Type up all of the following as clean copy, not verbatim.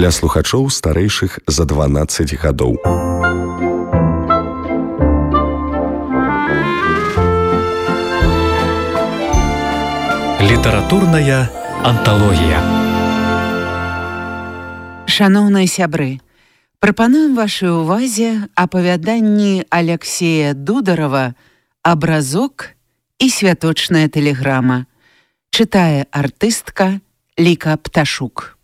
для слухачоў старэйшых за 12 гадоў. Літаратурная анталогія. Шаноўныя сябры, прапануем вашай увазе апавяданні Аляксея Дударова «Абразок» і «Святочная тэлеграма». Чытае артыстка Ліка Пташук.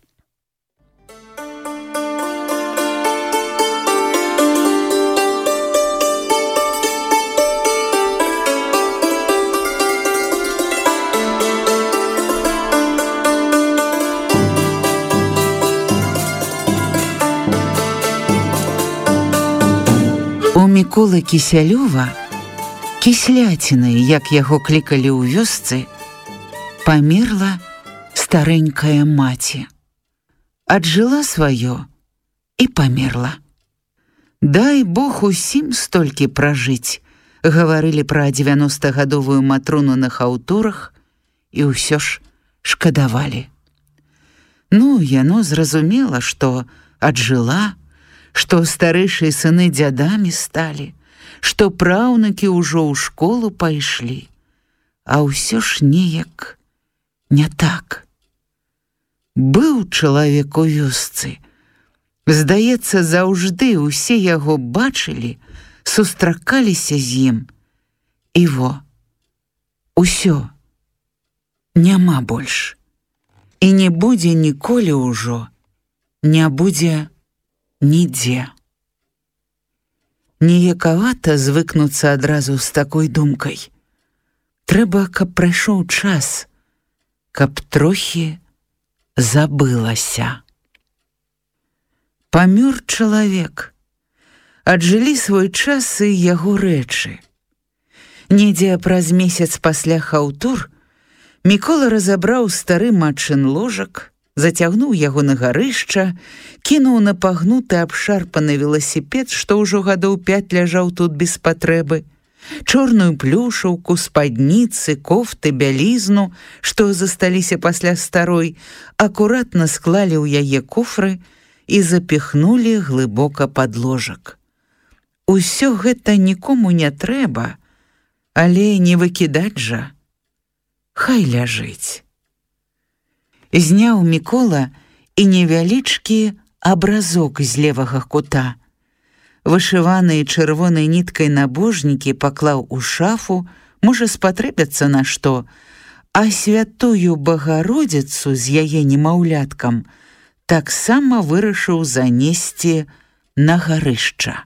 У Міколы Кісялёва, Кісляціны, як яго клікалі ў вёсцы, памерла старэнькая маці. Аджыла сваё і памерла. Дай Бог усім столькі пражыць, гаварылі пра 90-гадовую Матрону на хаўтурах і ўсё ж шкадавалі. Ну, яно зразумела, што аджыла, што старэйшыя сыны дзядамі сталі, што праўнукі ўжо ў школу пайшлі, а ўсё ж неяк не так. Быў чалавек у вёсцы. Здаецца, заўжды ўсе яго бачылі, сустракаліся з ім. І во, усё, няма больш. І не будзе ніколі ўжо, не будзе нідзе. Неякавата звыкнуцца адразу з такой думкай. Трэба, каб прайшоў час, каб трохі забылася. Памёр чалавек. Аджылі свой час і яго рэчы. Недзе праз месяц пасля хаўтур Мікола разабраў стары матчын ложак, зацягнуў яго на гарышча, кінуў на пагнуты абшарпаны веласіпед, што ўжо гадоў 5 ляжаў тут без патрэбы, чорную плюшаўку, спадніцы, кофты, бялізну, што засталіся пасля старой, акуратна склалі ў яе куфры і запіхнулі глыбока пад ложак. Усё гэта нікому не трэба, але не выкідаць жа. Хай ляжыць. Зняў Мікола і невялічкі абразок з левага кута. Вышываныя чырвонай ніткай набожнікі паклаў у шафу, можа спатрэбяцца на што, а святую Багародзіцу з яе немаўляткам таксама вырашыў занесці на гарышча.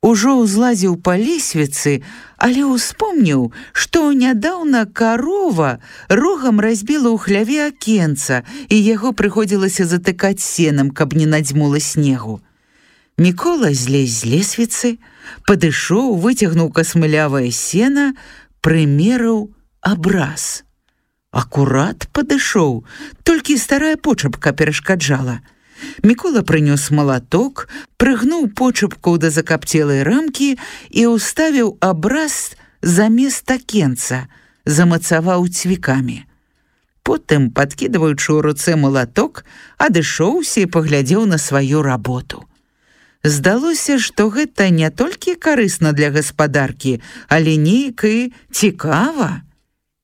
Ужо ўзлазіў па лесвіцы, але ўспомніў, што нядаўна карова рогам разбіла ў хляве акенца, і яго прыходзілася затыкаць сенам, каб не надзьмула снегу. Мікола злез з лесвіцы, падышоў, выцягнуў касмылявае сена, прымерыў абраз. Акурат падышоў, толькі старая почапка перашкаджала. Мікола прынёс малаток, прыгнуў почапку да закапцелай рамкі і ўставіў абраз замест акенца, замацаваў цвікамі. Потым, падкідваючы ў руцэ малаток, адышоўся і паглядзеў на сваю работу. Здалося, што гэта не толькі карысна для гаспадаркі, але неяк і цікава,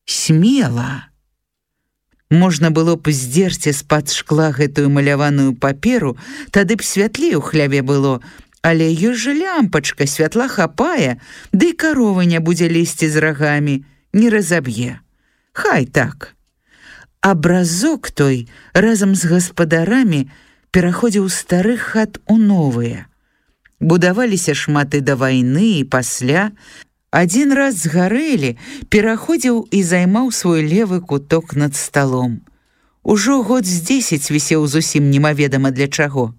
смела. Можна было б здзерці з-пад шкла гэтую маляваную паперу, тады б святлей у хляве было, але ёсць жа лямпачка, святла хапае, ды і карова не будзе лезці з рагамі, не разаб'е. Хай так. Абразок той разам з гаспадарамі пераходзіў з старых хат у новыя. Будаваліся шматы да вайны і пасля. Адзін раз згарэлі, пераходзіў і займаў свой левы куток над сталом. Ужо год з 10 вісеў зусім немаведама для чаго.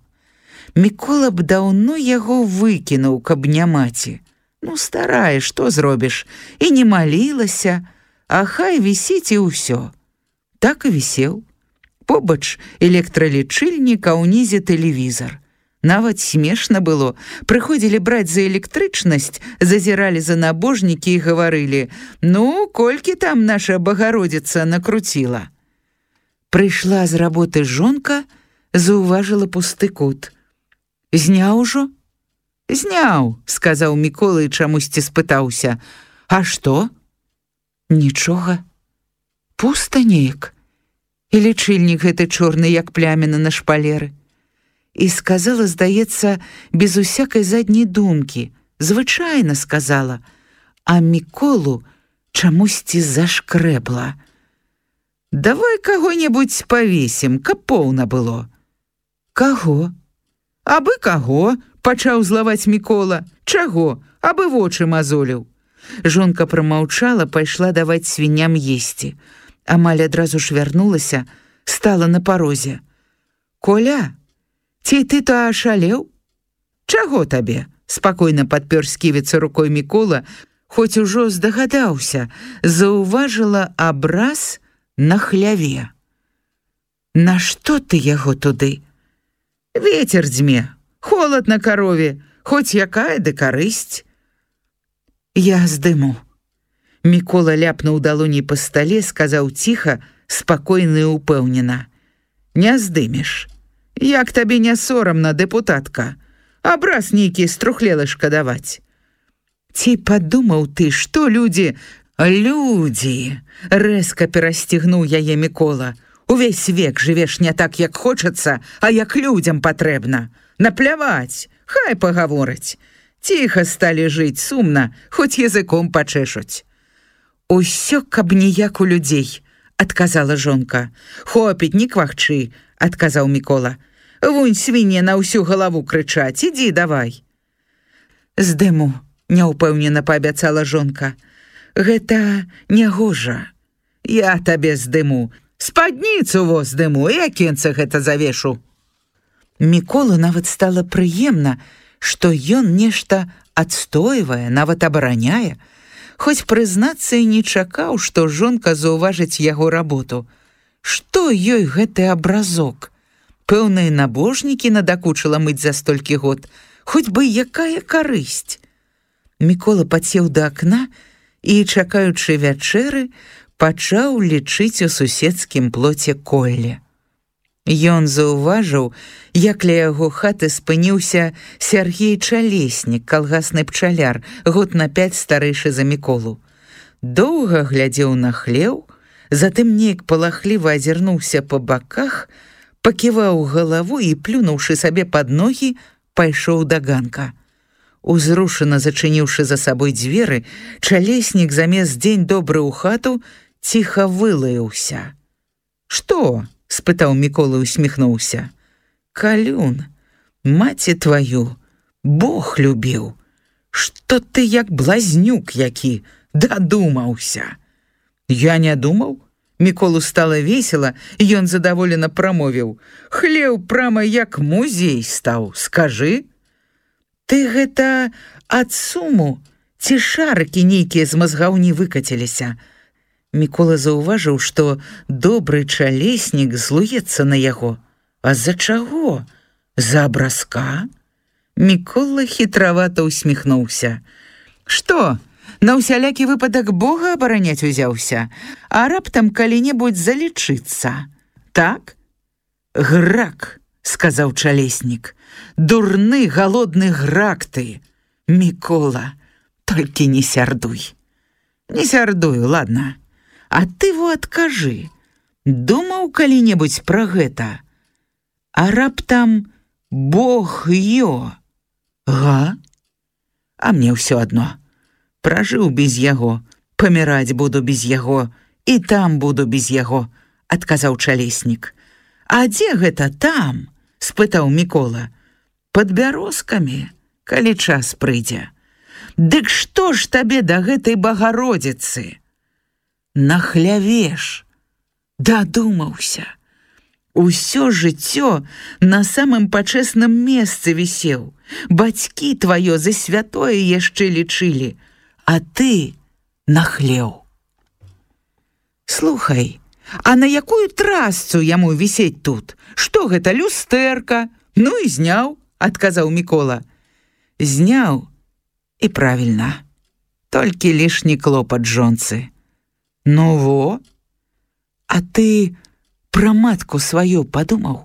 Мікола б даўно яго выкінуў, каб не маці. Ну, старая, што зробіш? І не малілася, а хай вісіць і ўсё. Так і вісеў. Побач электралічыльнік, а ўнізе тэлевізар. Нават смешна было. Прыходзілі браць за электрычнасць, зазіралі за набожнікі і гаварылі: «Ну, колькі там наша Багародзіца накруціла?» Прыйшла з работы жонка, заўважыла пусты кут. Зняў ужо? Зняў, сказаў Мікола і чамусьці спытаўся. А што? Нічога. Пуста неяк. І лічыльнік гэты чорны, як пляміна на шпалеры. І сказала, здаецца, без усякай задняй думкі, звычайна сказала, а Міколу чамусьці зашкрэбла. Давай каго-небудзь павесім, каб поўна было. Каго? Абы каго, пачаў злаваць Мікола. Чаго? Абы вочы мазоліў. Жонка прамаўчала, пайшла даваць свінням есці. Амаль адразу ж вярнулася, стала на парозе. Коля, ці ты то ашалеў? Чаго табе? Спакойна падпёр сківіцу рукой Мікола, хоць ужо здагадаўся, заўважыла абраз на хляве. Нашто ты яго туды? Вецер дзьме, холад на карове, хоць якая ды карысць. Я здыму. Мікола ляпнуў далоней па стале, сказаў ціха, спакойна і упэўнена. Не здымеш. Як табе не сорамна, дэпутатка? Абраз нейкі струхлелы шкадаваць. Ці падумаў ты, што людзі... Людзі! Рэзка перасцігнуў яе Мікола. Увесь век жывеш не так, як хочацца, а як людзям патрэбна. Напляваць, хай пагавораць. Ціха сталі жыць сумна, хоць языком пачэшуць. Усё, каб ніяк у людзей, адказала жонка. Хопіць, не квахчы, адказаў Мікола. Вунь свінне на ўсю галаву крычаць, ідзі давай. Здыму, няўпэўнена паабяцала жонка. Гэта нягожа. Я табе здыму. Спадніцу во здыму, і акенца гэта завешу. Міколу нават стала прыемна, што ён нешта адстойвае, нават абараняе, хоць прызнацца і не чакаў, што жонка заўважыць яго работу. Што ёй гэты абразок? Пэўна, і набожнікі надакучыла мыць за столькі год, хоць бы якая карысць. Мікола падсеў да акна і, чакаючы вячэры, пачаў лічыць у суседскім плоце колле. Ён заўважыў, як ля яго хаты спыніўся Сяргей Чалеснік, калгасны пчаляр, год на 5 старэйшы за Міколу. Доўга глядзеў на хлеў, затым неяк палахліва азірнуўся па баках, паківаў галаву і, плюнуўшы сабе пад ногі, пайшоў да ганка. Узрушана зачыніўшы за сабой дзверы, Чалеснік замест дзень добры ў хату ціха вылаяўся. Што? Спытаў Мікола і усміхнуўся. Калюн, маці тваю, Бог любіў. Што ты як блазнюк які, дадумаўся. Я не думаў. Міколу стала весела, ён задаволена прамовіў. Хлеў прама як музей стаў, скажы. Ты гэта ад суму, ці шарыкі нейкія з мазгаў не выкаціліся. Мікола заўважыў, што добры Чалеснік злуецца на яго. А з-за чаго? За абразка? Мікола хітравата усміхнуўся. Што, на ўсялякі выпадак Бога абараняць узяўся, а раптам калі-небудзь залічыцца? Так? Грак, сказаў Чалеснік. Дурны, галодны грак ты. Мікола, толькі не сярдуй. Не сярдую, ладно. А ты во адкажы, думаў калі-небудзь пра гэта? А раптам Бог ё? Га? А мне ўсё адно. Пражыў без яго, паміраць буду без яго, і там буду без яго, адказаў Чалеснік. А дзе гэта там? Спытаў Мікола. Пад бярозкамі, калі час прыйдзе. Дык што ж табе да гэтай Багародзіцы? На хляве ж. Дадумаўся. Усё жыццё на самым пачэсным месцы вісеў. Бацькі тваё за святое яшчэ лічылі, а ты на хлеў. Слухай, а на якую трасцу яму вісець тут? Што гэта, люстэрка? Ну і зняў, адказаў Мікола. Зняў, і правільна. Толькі лішні клопат жонцы. Ну во, а ты пра матку сваю падумаў?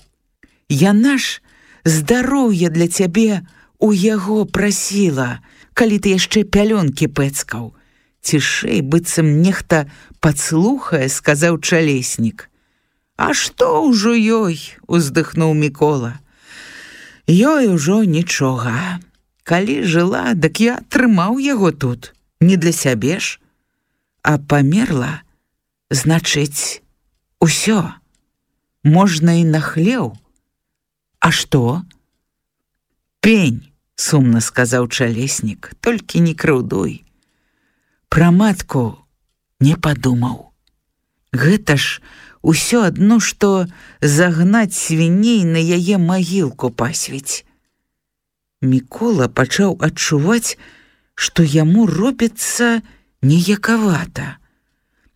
Яна ж здароўя для цябе у яго прасіла, калі ты яшчэ пялёнкі пэцкаў. Цішэй, быццам нехта падслухае, сказаў Чалеснік. А што ўжо ёй, уздыхнуў Мікола. Ёй ужо нічога. Калі жыла, дык я трымаў яго тут, не для сябе ж. А памерла, значыць, усё. Можна і на хлеў. А што? Пень, сумна сказаў Чалеснік, толькі не крыўдуй. Пра матку не падумаў. Гэта ж усё адно, што загнаць свіней на яе магілку пасвіць. Мікола пачаў адчуваць, што яму робіцца неякавата.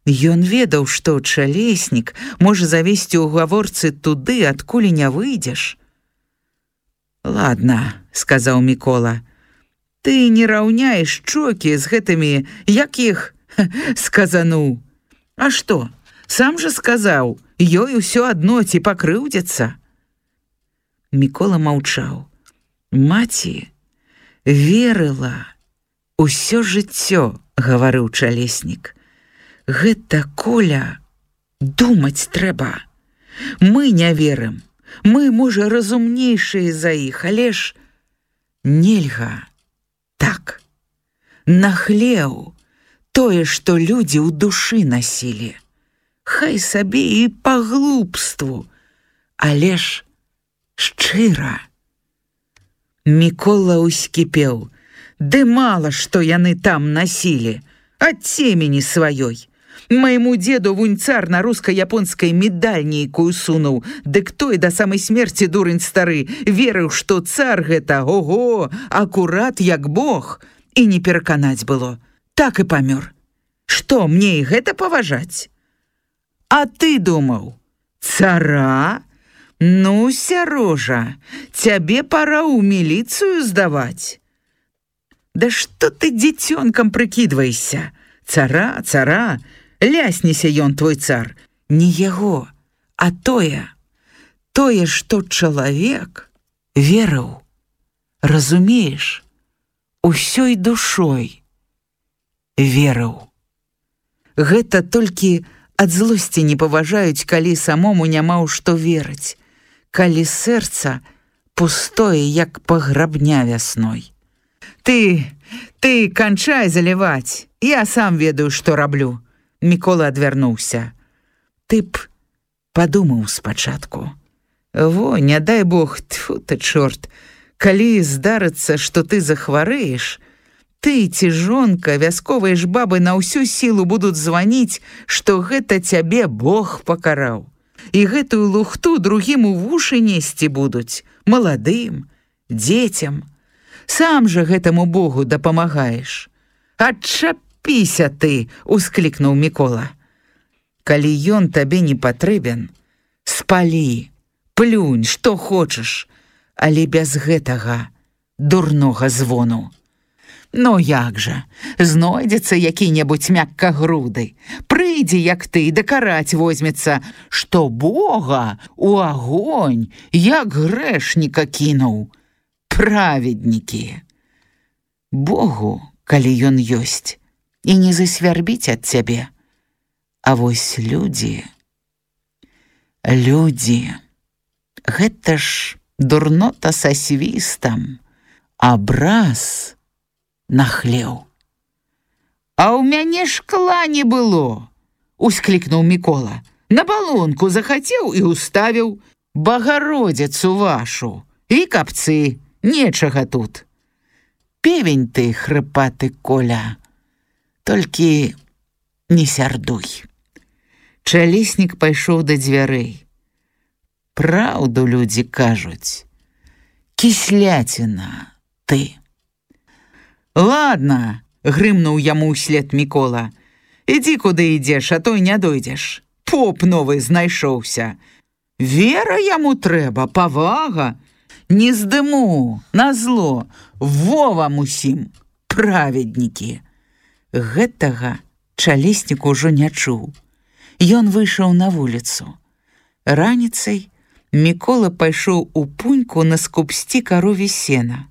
Ён ведаў, што Чалеснік можа завесці ў гаворцы туды, адкуль не выйдзеш. Ладно, сказаў Мікола, ты не раўняеш чокі з гэтымі, як іх сказануў. А што, сам жа сказаў, ёй усё адно ці пакрыўдзіцца. Мікола маўчаў. Маці верыла усё жыццё, гаварыў Чалеснік. Гэта, Коля, думаць трэба. Мы не верым. Мы, можа, разумнейшыя за іх, але ж нельга. Так, на хлеў тое, што людзі ў душы насілі. Хай сабе і па глупству, але ж шчыра. Мікола ўскіпеў. Ды мала, што яны там насілі, ад цемені сваёй. Майму деду вунь цар на руска-японскай медаль нейкую сунуў, дык той да самай смерці, дурань стары, верыў, што цар гэта, ого, акурат як бог, і не пераканаць было. Так і памёр. Што, мне і гэта паважаць? А ты думаў, цара? Ну, сярожа, цябе пара ў міліцыю здаваць. Да што ты дзіцёнкам прыкідвайся? Цара, цара, лясніся ён, твой цар. Не яго, а тое, што чалавек верыў, разумееш, усёй душой верыў. Гэта толькі ад злосці не паважаюць, калі самому няма ў што верыць, калі сэрца пустое, як паграбня вясной. Ты канчай заліваць, я сам ведаю, што раблю. Мікола адвярнуўся. Ты б падумаў спачатку. Во, не дай Бог, тьфу ты, чорт, калі здарыцца, што ты захварэеш, ты ці жонка, вясковыя ж бабы на ўсю сілу будуць званіць, што гэта цябе Бог пакараў. І гэтую лухту другім у вушы несці будуць, маладым, дзецям. Сам жа гэтаму Богу дапамагаеш. Адчапіся ты, усклікнуў Мікола. Калі ён табе не патрэбен, спалі, плюнь, што хочаш, але без гэтага дурнога звону. Ну як жа, знойдзецца які-небудзь мяккагруды, прыйдзе, як ты, дакараць возьмецца, што Бога у агонь, як грэшніка кінуў. Праведнікі. Богу, калі ён ёсць, і не засвярбіць ад цябе. А вось людзі, гэта ж дурнота са свістам, абраз на хлеў. А ў мяне шкла не было, усклікнуў Мікола. На балонку захацеў і уставіў. Багародзіцу вашу, і капцы, нечага тут. Певень ты, хрыпаты Коля, толькі не сярдуй. Чалеснік пайшоў да дзвярэй. Праўду людзі кажуць. Кісляціна ты. Ладно, грымнуў яму ўслед Мікола. Ідзі куды ідзеш, а то не дойдзеш. Поп новы знайшоўся. Вера яму трэба, павага. Не здыму, назло, во вам усім, праведнікі. Гэтага Чалеснік ужо не чуў. Ён выйшаў на вуліцу. Раніцай Мікола пайшоў у пуньку наскупсці карове сена.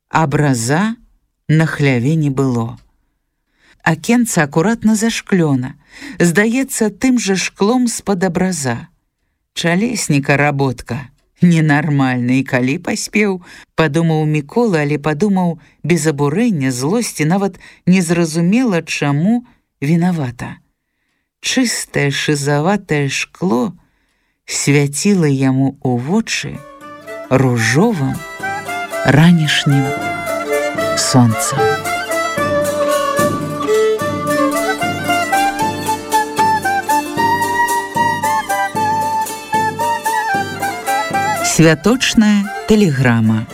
Абраза на хляве не было. Акенца акуратна зашклёна, здаецца тым жа шклом з-пад абраза. Чалесніка работка, ненармальна, і калі паспеў, падумаў Мікола, але падумаў без абурэння, злосці, нават незразумела, чаму вінавата. Чыстае шызаватае шкло свяціла яму ў вочы ружовым ранішнім сонцам. Святочная тэлеграма.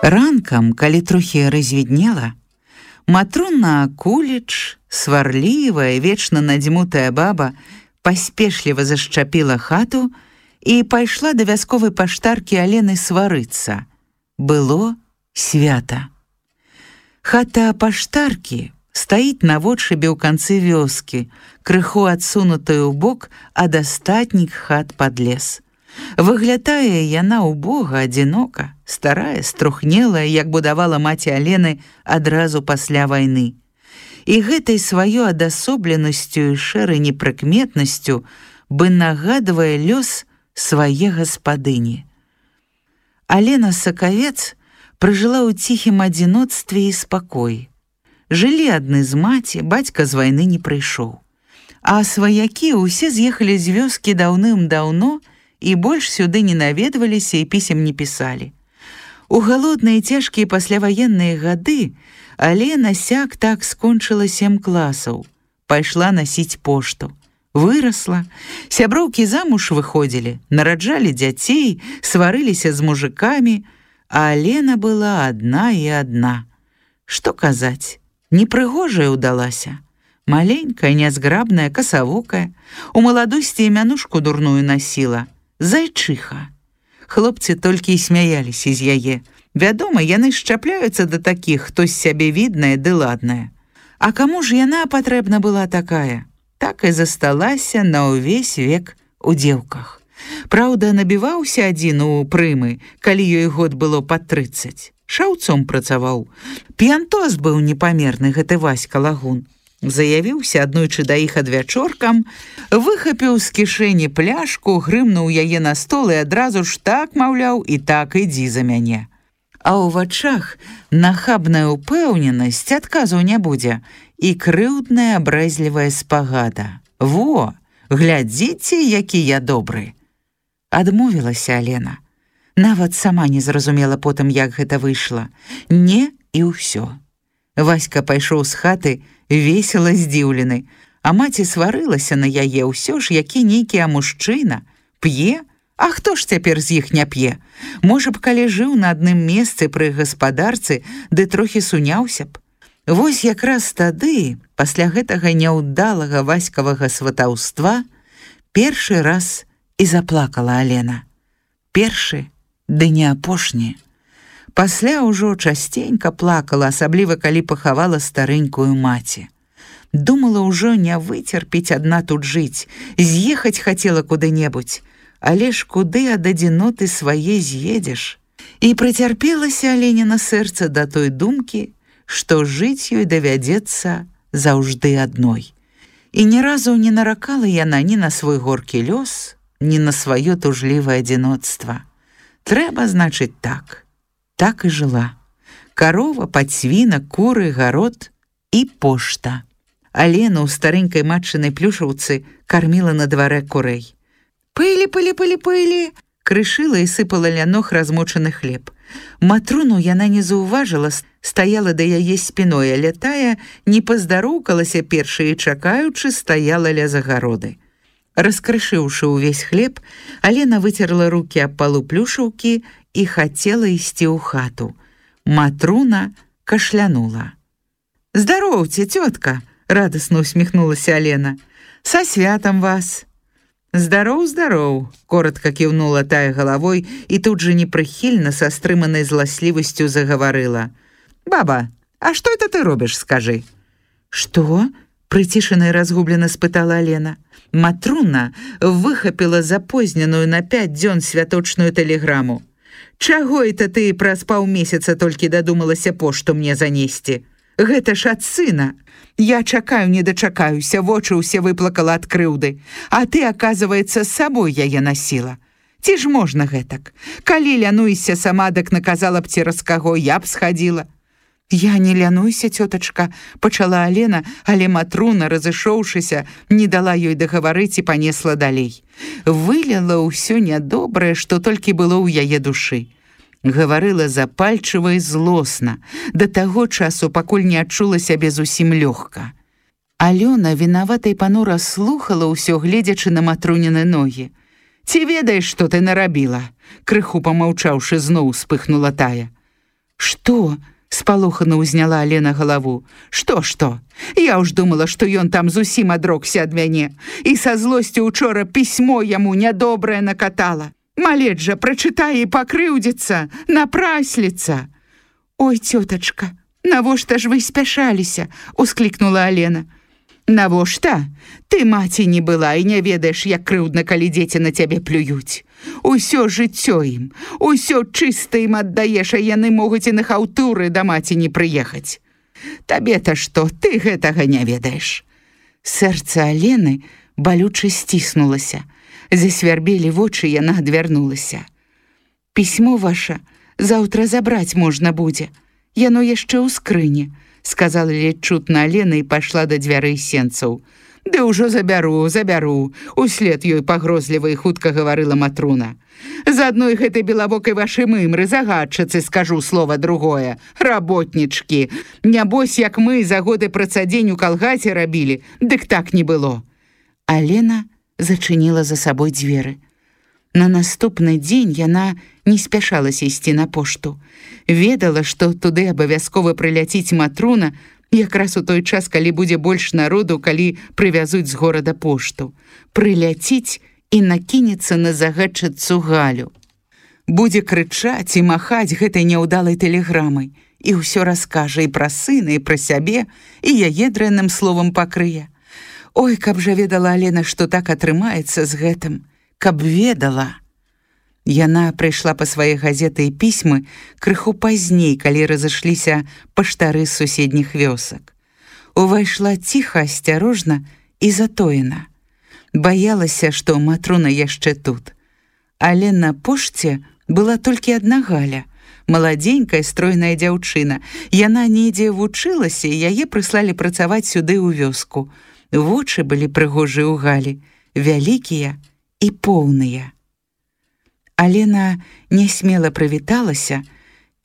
Ранкам, калі трохі развіднела, Матруна Акуліч, сварлівая, вечна надзьмутая баба, паспешліва зашчапіла хату і пайшла да вясковай паштаркі Алены сварыцца. Было свята. Хата паштаркі стаіць на водшыбе ў канцы вёскі, крыху адсунутая ў бок ад астатніх хат пад лес. Выглядае яна убога, адзінока, старая, струхнелая, як будавала маці Алены адразу пасля вайны. І гэтай сваёй адасобленасцю і шэрай непрыкметнасцю бы нагадвае лёс свае гаспадыні. Алена Сакавец пражыла ў ціхім адзіноцтве і спакоі. Жылі адны з маці, бацька з вайны не прыйшоў. А сваякі ўсе з'ехалі з вёскі даўным-даўно і больш сюды не наведваліся і пісем не пісалі. У галодныя цяжкія пасляваенныя гады Алена сяк-так скончыла 7 класаў, пайшла насіць пошту. Вырасла, сяброўкі замуж выходзілі, нараджалі дзяцей, сварыліся з мужыкамі, а Алена была адна і адна. Што казаць, непрыгожая ўдалася. Маленькая, нязграбная, касавокая, у маладосці імянушку дурную насіла. Зайчыха. Хлопцы толькі і смяяліся з яе. Вядома, яны шчапляюцца да такіх, хто з сябе відная ды ладная. А каму ж яна патрэбна была такая? Так і засталася на ўвесь век у дзеўках. Праўда, набіваўся адзін у прымы, калі ёй год было пад 30. Шаўцом працаваў. П'янтос быў непамерны гэты Васька Лагун. Заявіўся аднойчы да іх адвячоркам, выхапіў з кішэні пляшку, грымнуў яе на стол і адразу ж так, маўляў, і так ідзі за мяне. А ў вачах нахабная ўпэўненасць, адказу не будзе, і крыўдная абрэзлівая спагада. Во, глядзіце, які я добры. Адмовілася Алена. Нават сама не зразумела потым, як гэта выйшла. Не, і ўсё. Васька пайшоў з хаты, весела здзіўлены, а маці сварылася на яе, ўсё ж які нейкі мужчына. П'е? А хто ж цяпер з іх не п'е? Можа б, калі жыў на адным месцы пры гаспадарцы, ды трохі суняўся б. Вось якраз тады, пасля гэтага няўдалага васькавага сватаўства, першы раз і заплакала Алена. Першы, ды не апошні. Пасля ўжо часценька плакала, асабліва калі пахавала старэнькую маці. Думала ўжо не выцерпіць адна тут жыць, з'ехаць хацела куды-небудзь, але ж куды ад адзіноты свае з'едзеш? І прыцярпелася Аленіна сэрца да той думкі, што жыць ёй давядзецца заўжды адной. І ні разу не наракала яна ні на свой горкі лёс, ні на сваё тужлівае адзіноцтва. Трэба, значыць, так. Так і жыла. Карова, падсвінак, куры, гарод і пошта. Алена ў старэнькай матчынай плюшаўцы карміла на дварэ курэй. «Пылі, пылі, пылі, пылі!» крышыла і сыпала ля ног размочаны хлеб. Матруну яна не заўважыла, стаяла да яе спіной, але тая не паздароўкалася першай і чакаючы стаяла ля загароды. Раскрышыўшы ўвесь хлеб, Алена выцерла рукі аб палу плюшаўкі і хацела ісці ў хату. Матруна кашлянула. «Здароўце, цётка!» — радасна усміхнулася Алена. «Са святам вас!» «Здароў, здароў!» — коротка кіўнула тая галавой і тут жа непрыхільна са стрыманай зласлівасцю загаварыла. «Баба, а што это ты робіш, скажы?» «Што?» — прыцішана і разгублена спытала Алена. Матруна выхапіла запозненую на 5 дзён святочную тэлеграму. «Чаго это ты праз паўмесяца толькі дадумалася пошту мне занесці? Гэта ж ад сына. Я чакаю, не дачакаюся, вочы ўсе выплакала ад крыўды, а ты, аказваецца, з сабой яе насіла. Ці ж можна гэтак? Калі лянуйся сама, дак наказала б цераз каго, я б схадзіла». «Я не лянуйся, цётачка», — пачала Алена, але Матруна, разышоўшыся, не дала ёй дагаварыць і панесла далей. Вылила ўсё нядобрае, што толькі было ў яе душы. Гаварыла запальчыва і злосна, да таго часу, пакуль не адчула сябе зусім лёгка. Алёна вінавата і панура слухала ўсё, гледзячы на Матруніны ногі. «Ці ведаеш, што ты нарабіла?» Крыху памаўчаўшы, зноў успыхнула тая. «Што?» — спалохана ўзняла Алена галаву. «Што? Я ўж думала, што ён там зусім адрокся ад мяне, і са злосцю учора пісьмо яму нядобрае накатала. Малець жа прачытае і пакрыўдзіцца, напрасліцца». «Ой, цётачка, навошта ж вы спяшаліся?» — усклікнула Алена. «Навошта? Ты маці не была і не ведаеш, як крыўдна, калі дзеці на цябе плююць. Усё жыццё ім, усё чыста ім аддаеш, а яны могуць і на хаўтуры да маці не прыехаць. Табе-то што, ты гэтага не ведаеш». Сэрца Алены балюча сціснулася. Засвярбелі вочы, яна адвярнулася. «Пісьмо ваша заўтра забраць можна будзе. Яно яшчэ ў скрыні», — сказала ледзь чутна Алена і пайшла да дзвярэй сенцаў. «Ды ўжо забяру, услед ёй пагрозліва і хутка гаварыла Матруна. «З адной гэтай белавокай вашай мымры, загадчыцы, скажу слова другое, работнічкі. Нябось, як мы за годы працадзень у калгасе рабілі, дык так не было». Алена зачыніла за сабой дзверы. На наступны дзень яна не спяшалася ісці на пошту. Ведала, што туды абавязкова прыляціць Матруна, якраз у той час, калі будзе больш народу, калі прывязуць з горада пошту. Прыляціць і накінецца на загадчыцу Галю. Будзе крычаць і махаць гэтай няўдалай тэлеграмай, і ўсё раскажа і пра сына, і пра сябе, і яе дрэнным словам пакрые. Ой, каб жа ведала Алена, што так атрымаецца з гэтым. Каб ведала. Яна прыйшла па свае газеты і пісьмы крыху пазней, калі разышліся паштары з суседніх вёсак. Увайшла ціха, асцярожна і затоена. Баялася, што Матруна яшчэ тут. Але на пошце была толькі адна Галя, маладзенькая, стройная дзяўчына. Яна недзе вучылася, і яе прыслалі працаваць сюды ў вёску. Вочы былі прыгожыя ў Галі, вялікія і поўныя. Алена нясмела прывіталася,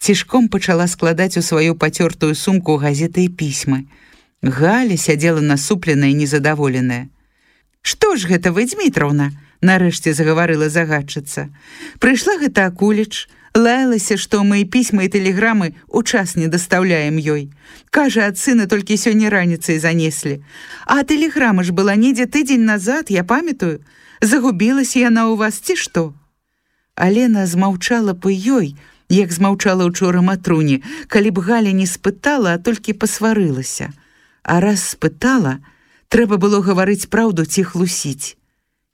цішком пачала складаць у сваю пацёртую сумку газеты і пісьмы. Галя сядзела насупленая і незадаволеная. «Што ж гэта вы, Дзмітраўна?» — нарэшце загаварыла загадчыца. «Прыйшла гэта Акуліч, лаялася, што мы пісьмы і тэлеграмы ў час не дастаўляем ёй. Кажа, ад сына толькі сёння раніцай занеслі. А тэлеграма ж была недзе тыдзень назад, я памятаю. Загубілася яна ў вас, ці што?» Алена змаўчала па ёй, як змаўчала ўчора Матруне, калі б Галя не спытала, а толькі пасварылася. А раз спытала, трэба было гаварыць праўду ці хлусіць.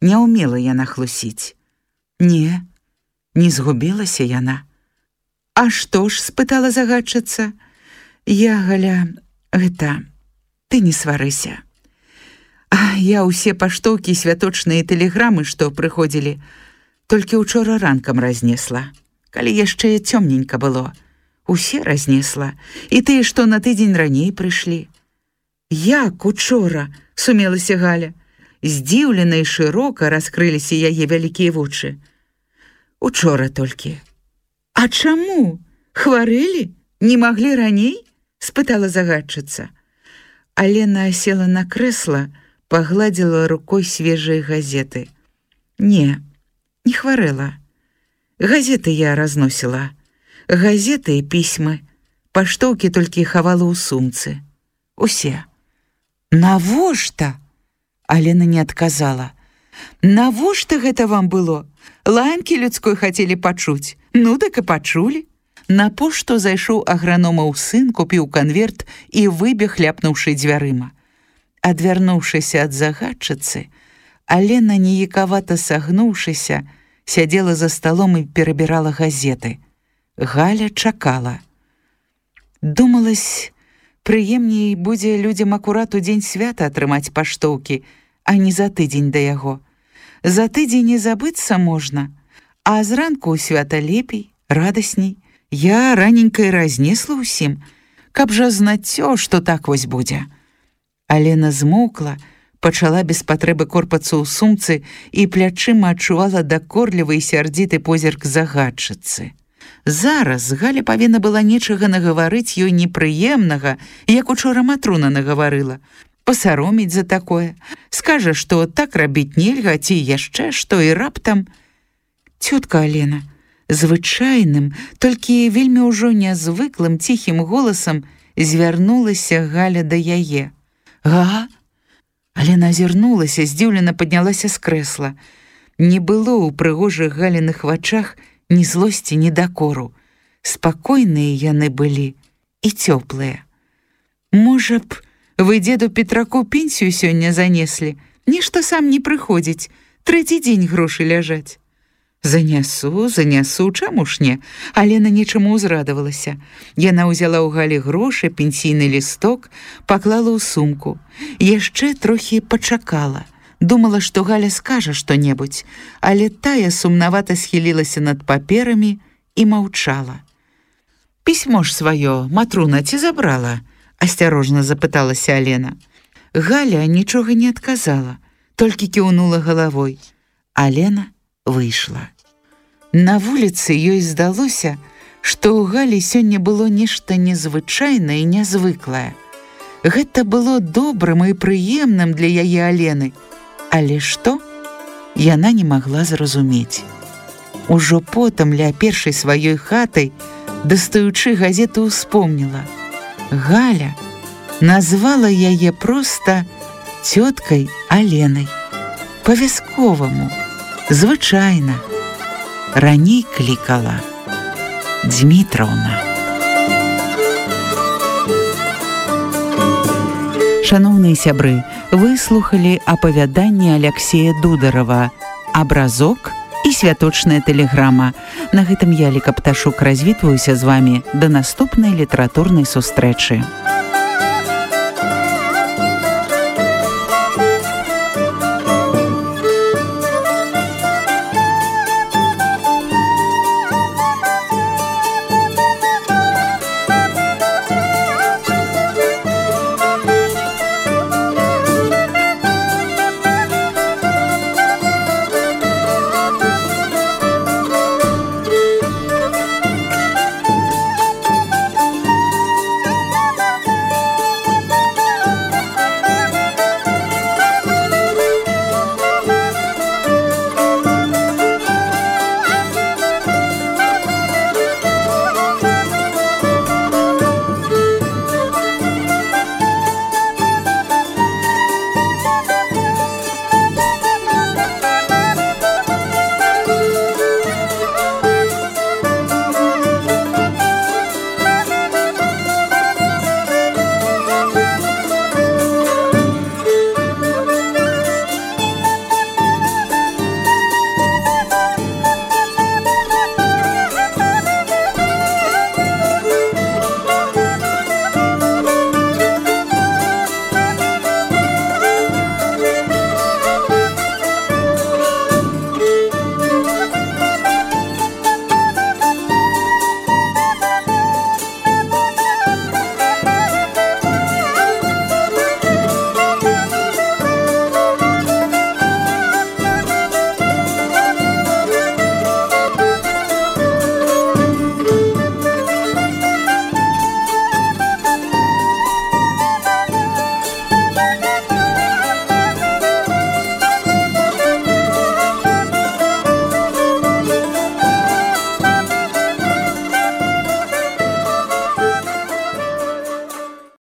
Не ўмела яна хлусіць. Не згубілася яна. «А што ж?» — спытала загадчыца. «Я, Галя, гэта, ты не сварыся. Я ўсе паштоўкі, святочныя тэлеграмы, што прыходзілі, толькі учора ранкам разнесла, калі яшчэ цёмненька было. Усе разнесла, і тыя, што на тыдзень раней прыйшлі». «Як учора?» — сумелася Галя. Здзіўлена і шырока раскрыліся яе вялікія вочы. «Учора толькі». «А чаму? Хварэлі? Не маглі раней?» — спытала загадчыца. Алена села на крэсла, пагладзіла рукой свежыя газеты. «Не хварэла. Газеты я разносіла. Газеты і пісьмы. Паштоўкі толькі хавала ў сумцы. Усе». «Навошта?» Алена не адказала. «Навошта гэта вам было? Лаянкі людской хацелі пачуць. Ну, так і пачулі». На пошту зайшоў аграномаў сын, купіў канверт і выбег, ляпнуўшы дзвярыма. Адвярнуўшыся ад загадчыцы, Алена, неякавата сагнуўшыся, сядзела за сталом і перабірала газеты. Галя чакала. Думалась, прыемней будзе людзям акурат у дзень свята атрымаць паштоўкі, а не за тыдзень да яго. За тыдзень не забыцца можна, а зранку ў свята лепей, радасней. Я раненька і разнесла ўсім, каб жа знаццё, што так вось будзе. Алена змоўкла, пачала без патрэбы корпацца ў сумцы і плячыма адчувала дакорлівы і сярдзіты позірк загадчыцы. Зараз Галя павінна была нечага нагаварыць ёй непрыемнага, як учора Матруна нагаварыла. Пасароміць за такое. Скажа, што так рабіць нельга, ці яшчэ што і раптам. Цётка Алена, звычайным, толькі вельмі ўжо нязвыклым ціхім голасам звярнулася Галя да яе. «Га?» Алена азірнулася, здзіўлена паднялася з крэсла. Не было ў прыгожых Галіных вачах ні злосці, ні дакору. Спакойныя яны былі і цёплыя. «Можа б, вы дзеду Петраку пенсію сёння занеслі? Нешта сам не прыходзіць, трэці дзень грошы ляжаць». Занясу, чаму ж не? Алена нечаму ўзрадавалася. Яна ўзяла ў Галі грошы, пенсійны лісток, паклала ў сумку. Яшчэ трохі пачакала. Думала, што Галя скажа што-небудзь, але тая сумнавата схілілася над паперамі і маўчала. «Пісьмо ж сваё Матруна ці забрала?» — асцярожна запыталася Алена. Галя нічога не адказала, толькі кіўнула галавой. Алена выйшла. На вуліцы ёй здалося, што ў Галі сёння было нешта незвычайнае і нязвыклае. Гэта было добрым і прыемным для яе Алены. Але што? Яна не магла зразумець. Ужо потым ля першай сваёй хатай, дастаючы газету, успомніла. Галя назвала яе проста цёткай Аленай. Па-вясковаму, звычайна. Раней клікала Дмітраўна. Шаноўныя сябры, вы слухалі апавяданне Аляксея Дударова «Абразок» і «Святочная тэлеграма». На гэтым я, Ліка Пташук, развітваюся з вамі да наступнай літаратурнай сустрэчы.